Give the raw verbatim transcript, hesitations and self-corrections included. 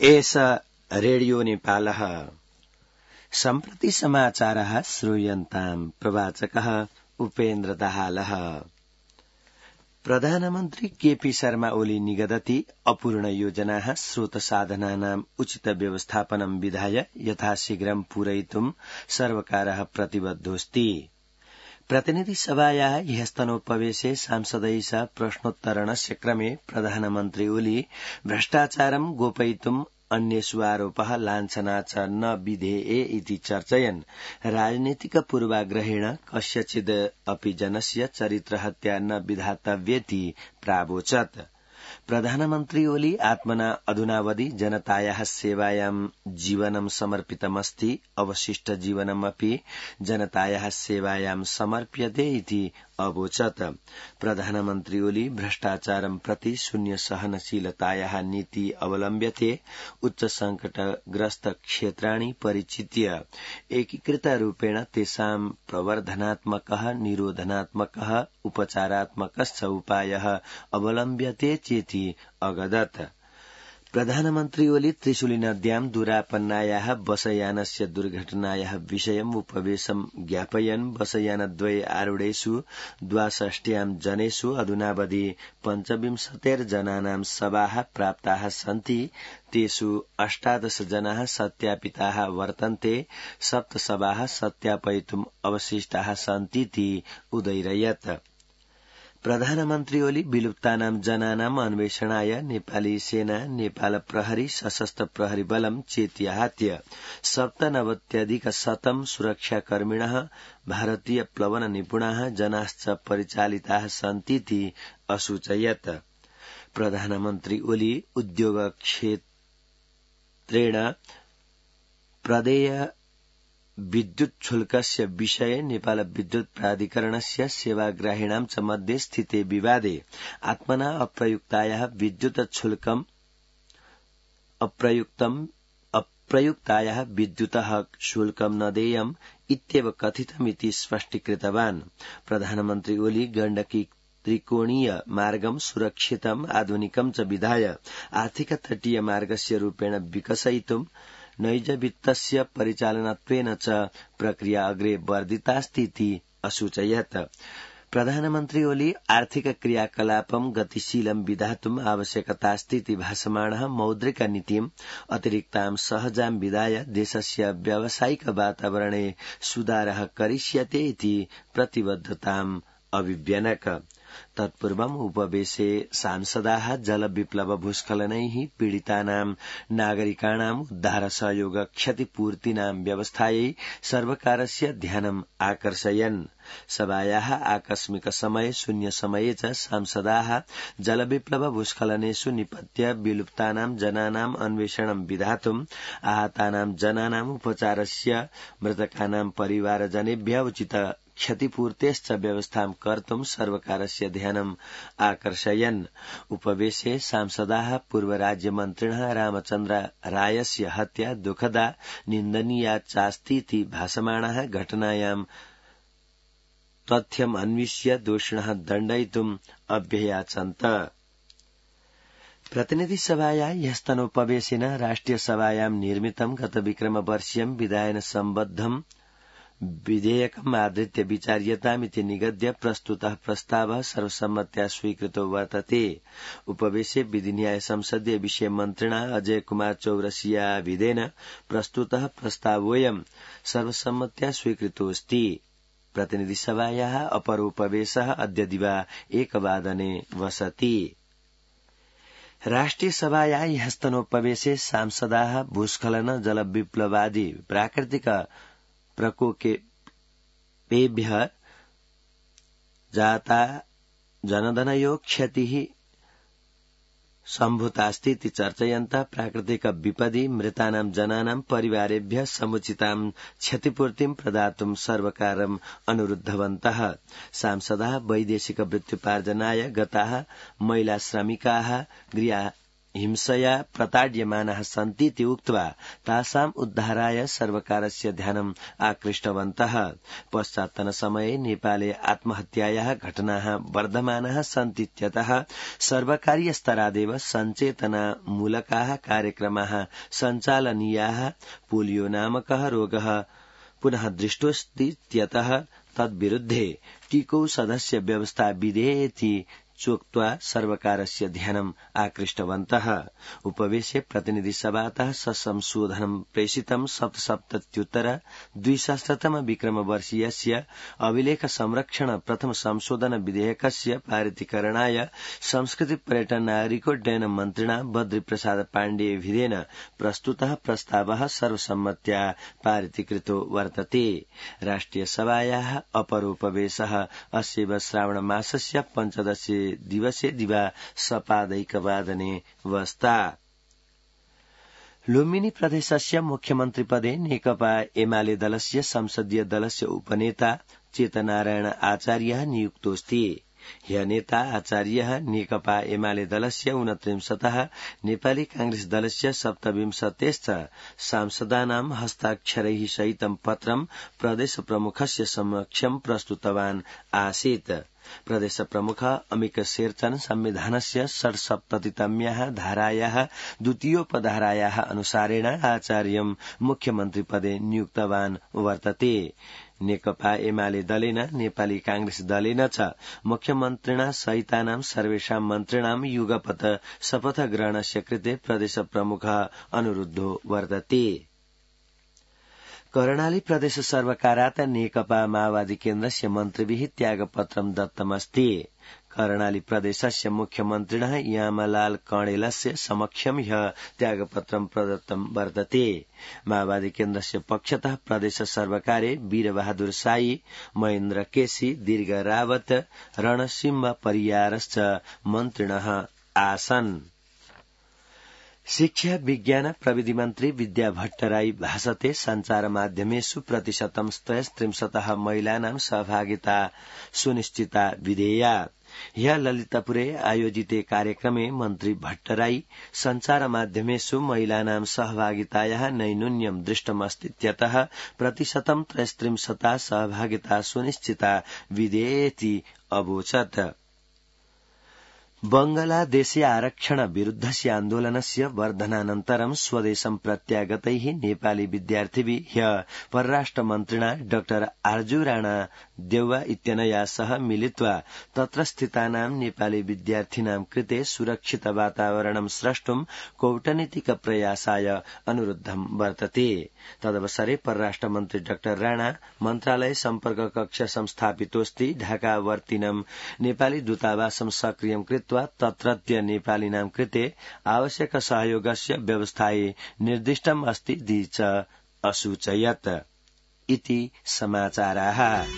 एष रेडियो नेपालः सम्प्रति समाचारः श्रूयन्ताम् प्रवाचकः उपेन्द्र दाहालः। प्रधानमन्त्री केपी शर्मा ओली निगदति अपूर्ण योजनाः स्रोत साधनानाम् उचित व्यवस्थापनं विधाय यथाशीघ्रं पूरयितुं सर्वकारः प्रतिबद्धोऽस्ति। प्रतिनिधि सभायाः ह्यस्तनोपवेशे सांसदैः सह प्रश्नोत्तरणस्य क्रमे प्रधानमन्त्री ओली भ्रष्टाचारं गोपयितुं अन्येषु आरोपः लाञ्छना च न विधेये इति चर्चयन् राजनीतिक पूर्वाग्रहेण कस्यचिद् अपि जनस्य चरित्रहत्या न विधातव्येति प्रावोचत्। प्रधानमन्त्री ओली आत्मना अधुनावधि जनतायाः सेवायां जीवनं समर्पितमस्ति, अवशिष्ट जीवनमपि जनतायाः सेवायां समर्प्यते इति अवोचत्। प्रधानमन्त्री ओली भ्रष्टाचारं प्रति शून्य सहनशीलतायाः नीति अवलम्ब्यते, उच्च संकटग्रस्त क्षेत्राणि परिचित्य एकीकृतरूपेण तेषां प्रवर्धनात्मकः निरोधनात्मकः उपचारात्मकश्च उपायः अवलम्ब्यते चेति अगदत्। प्रधानमन्त्री ओली त्रिशूली नद्यां दुरापन्नायाः बसयानस्य दुर्घटनायाः विषयम् उपवेशं ज्ञापयन् बसयानद्वये आरूढेषु द्वाषष्ट्यां जनेषु अधुनावधि पञ्चविंशतिर्जनानां शवाः प्राप्ताः सन्ति, तेषु अष्टादश जनाः सत्यापिताः वर्तन्ते, सप्त शवाः सत्यापयितुम् अवशिष्टाः सन्तीति उदैरयत्। प्रधानमन्त्री ओली विलुप्तानां जनानाम् अन्वेषणाय नेपाली सेना, नेपाल प्रहरी, सशस्त्र प्रहरी बलं चेत्याहत्य सप्तनवत्यधिकशतं सुरक्षाकर्मिणः, भारतीय प्लवन निपुणाः जनाश्च परिचालिताः सन्तीति असूचयत्। प्रधानमन्त्री ओली उद्योग क्षेत्रेण प्रदेय विद्युत शुल्कस्य विषये नेपाल विद्युत प्राधिकरणस्य सेवाग्राहिणां च मध्ये स्थिते विवादे आत्मना अप्रयुक्तायाः विद्युत शुल्कम् अप्रयुक्तम् अप्रयुक्तायाः विद्युतः शुल्कं न देयम् इत्येव कथितमिति स्पष्टीकृतवान्। प्रधानमन्त्री ओली गण्डकी त्रिकोणीय मार्गं सुरक्षितम् आधुनिकं च विधाय आर्थिक तटीय मार्गस्य रूपेण विकसयितुं नैजवित्तस्य परिचालनत्वेन च प्रक्रिया अग्रे वर्धितास्तीति असूचयत्। प्रधानमन्त्री ओली आर्थिक क्रियाकलापं गतिशीलं विधातुम् आवश्यकतास्तीति भासमाणः मौद्रिक नीतिम् अतिरिक्तां सहजां विधाय देशस्य व्यावसायिक वातावरणे सुधारः करिष्यते इति प्रतिबद्धताम् अभिव्यनक। तत्पूर्वम् उपवेशे सांसदाः जलविप्लव भूस्खलनैः पीडितानां नागरिकाणाम् उद्धार सहयोग क्षतिपूर्तीनां व्यवस्थायै सर्वकारस्य ध्यानम् आकर्षयन्। सभायाः आकस्मिक समये शून्य समये च सांसदाः जलविप्लव भूस्खलनेषु निपत्य विलुप्तानां जनानाम् अन्वेषणं विधातुम्, आहतानां जनानाम् उपचारस्य, मृतकानां परिवारजनेभ्यः उचित क्षतिपूर्तेश्च व्यवस्थां कर्तुं सर्वकारस्य ध्यानम् आकर्षयन्। उपवेशे सांसदाः पूर्व राज्यमन्त्रिणः रामचन्द्र रायस्य हत्या दुःखदा निन्दनीया चास्तीति भासमाणः घटनायां तथ्यम् अन्विष्य दोषिणः दण्डयितुम् अभ्ययाचन्त। प्रतिनिधि सभायाः ह्यस्तनोपवेशेन राष्ट्रिय सभायां निर्मितं गत विक्रमवर्षीयं विधायन सम्बद्धं विधेयकम् आधृत्य विचार्यतामिति निगद्य प्रस्तुतः प्रस्तावः सर्वसम्मत्या स्वीकृतो वर्तते। उपवेशे विधिन्याय संसदीय विषय मन्त्रिणा अजय कुमार चौरसियाविदेन प्रस्तुतः प्रस्तावोऽयं सर्वसम्मत्या स्वीकृतोऽस्ति। प्रतिनिधि सभायाः अपरोपवेशः अद्य दिवा एकवादने वसति। राष्ट्रिय सभायाः ह्यस्तनोपवेशे सांसदाः भूस्खलन, जलविप्लवादि प्राकृतिक प्रकोपेभ्यः जाता जनधनयो क्षतिः सम्भूतास्तीति चर्चयन्तः प्राकृतिक विपदि मृतानां जनानां परिवारेभ्यः समुचितां क्षतिपूर्तिं प्रदातुं सर्वकारम् अनुरुद्धवन्तः। सांसदाः वैदेशिक वृत्त्युपार्जनाय गताः महिला श्रमिकाः गृह हिंसया प्रताड्यमानाः सन्तीति उक्त्वा तासाम् उद्धाराय सर्वकारस्य ध्यानम् आकृष्टवन्तः। पश्चात्तनसमये नेपाले आत्महत्यायाः घटनाः वर्धमानाः सन्तीत्यतः सर्वकारीयस्तरादेव सञ्चेतनामूलकाः कार्यक्रमाः सञ्चालनीयाः। पोलियो नामकः रोगः पुनः दृष्टोऽस्तीत्यतः तद्विरुद्धे टीकौषधस्य व्यवस्था विधेयेति चोक्त्वा सर्वकारस्य ध्यानम् आकृष्टवन्तः। उपवेशे प्रतिनिधिसभातः ससंशोधनं प्रेषितं सप्तसप्तत्युत्तर द्विसहस्रतम विक्रमवर्षीयस्य अभिलेख संरक्षण प्रथम संशोधन विधेयकस्य पारितीकरणाय संस्कृति पर्यटन नागरिकोड्डयन मन्त्रिणा बद्रीप्रसाद पाण्डेयविधेन प्रस्तुतः प्रस्तावः सर्वसम्मत्या पारितीकृतो वर्तते। राष्ट्रियसभायाः अपरोपवेशः अस्यैव श्रावणमासस्य पञ्चदशे दिवसे दिवा सपादैकवादने वस्ता। लुम्बिनी प्रदेशस्य मुख्यमन्त्रिपदे नेकपा एमाले दलस्य संसदीय दलस्य उपनेता चेतनारायण आचार्यः नियुक्तोऽस्ति। ह्य नेता आचार्यः नेकपा एमाले दलस्य ऊनत्रिंशतः नेपाली कांग्रेस दलस्य सप्तविंशतेश्च सांसदानां हस्ताक्षरैः सहितं पत्रं प्रदेश प्रमुखस्य समक्षं प्रस्तुतवान् आसीत्। प्रदेश प्रमुख अमिक शेरचन संविधानस्य षट्सप्ततितम्याः धारायाः द्वितीयोपधारायाः अनुसारेण आचार्यं मुख्यमन्त्रिपदे नियुक्तवान् वर्तते। नेकपा एमाले दलेन नेपाली कांग्रेस दलेन च मुख्यमन्त्रिणा सहितानां सर्वेषां मन्त्रिणां युगपत् शपथ ग्रहणस्य कृते प्रदेश प्रमुखः अनुरुद्धो वर्तते। कर्णाली प्रदेश सर्वकारात् नेकपा माओवादी केन्द्रस्य मन्त्रिभिः त्यागपत्रं दत्तमस्ति। कर्णाली प्रदेशस्य मुख्यमन्त्रिणः यामलाल कणेलस्य समक्षं ह्यः त्यागपत्रं प्रदत्तं वर्तते। माओवादी केन्द्रस्य पक्षतः प्रदेश सर्वकारे वीरबहादुर साई, महेन्द्र केसी, दीर्घ रावत, रणसिंह परियारश्च मन्त्रिणः आसन्। शिक्षा विज्ञान प्रविधि मन्त्री विद्या भट्टराई भाषते सञ्चार माध्यमेषु प्रतिशतं त्रयस्त्रिंशतः महिलानां सहभागिता सुनिश्चिता विधेया। ह्यः ललितपुरे आयोजिते कार्यक्रमे मन्त्री भट्टराई सञ्चार माध्यमेषु महिलानां सहभागितायाः नैयून्यं दृष्टमस्तीत्यतः प्रतिशतं त्रयस्त्रिंशता सहभागिता सुनिश्चिता विधेयेति अवोचत्। बंगलादेशे आरक्षण विरुद्धस्य आन्दोलनस्य वर्धनानन्तरं स्वदेशं प्रत्यागतैः नेपाली विद्यार्थिभिः ह्यः परराष्ट्रमन्त्रिणा डाक्टर आर्जु राणा देउवा इत्यनया सह मिलित्वा तत्र स्थितानां नेपाली विद्यार्थिनां कृते सुरक्षित वातावरणं स्रष्टुं कौटनीतिक प्रयासाय अनुरुद्धं वर्तते। तदवसरे परराष्ट्रमन्त्री डाक्टर राणा मन्त्रालय सम्पर्क कक्ष संस्थापितोऽस्ति। ढाकावर्तिनं नेपाली दूतावासं सक्रियं कृत्वा तत्रत्य नेपालिनां कृते आवश्यक सहयोगस्य व्यवस्थायै निर्दिष्टम् अस्ति च असूचयत् इति समाचाराः।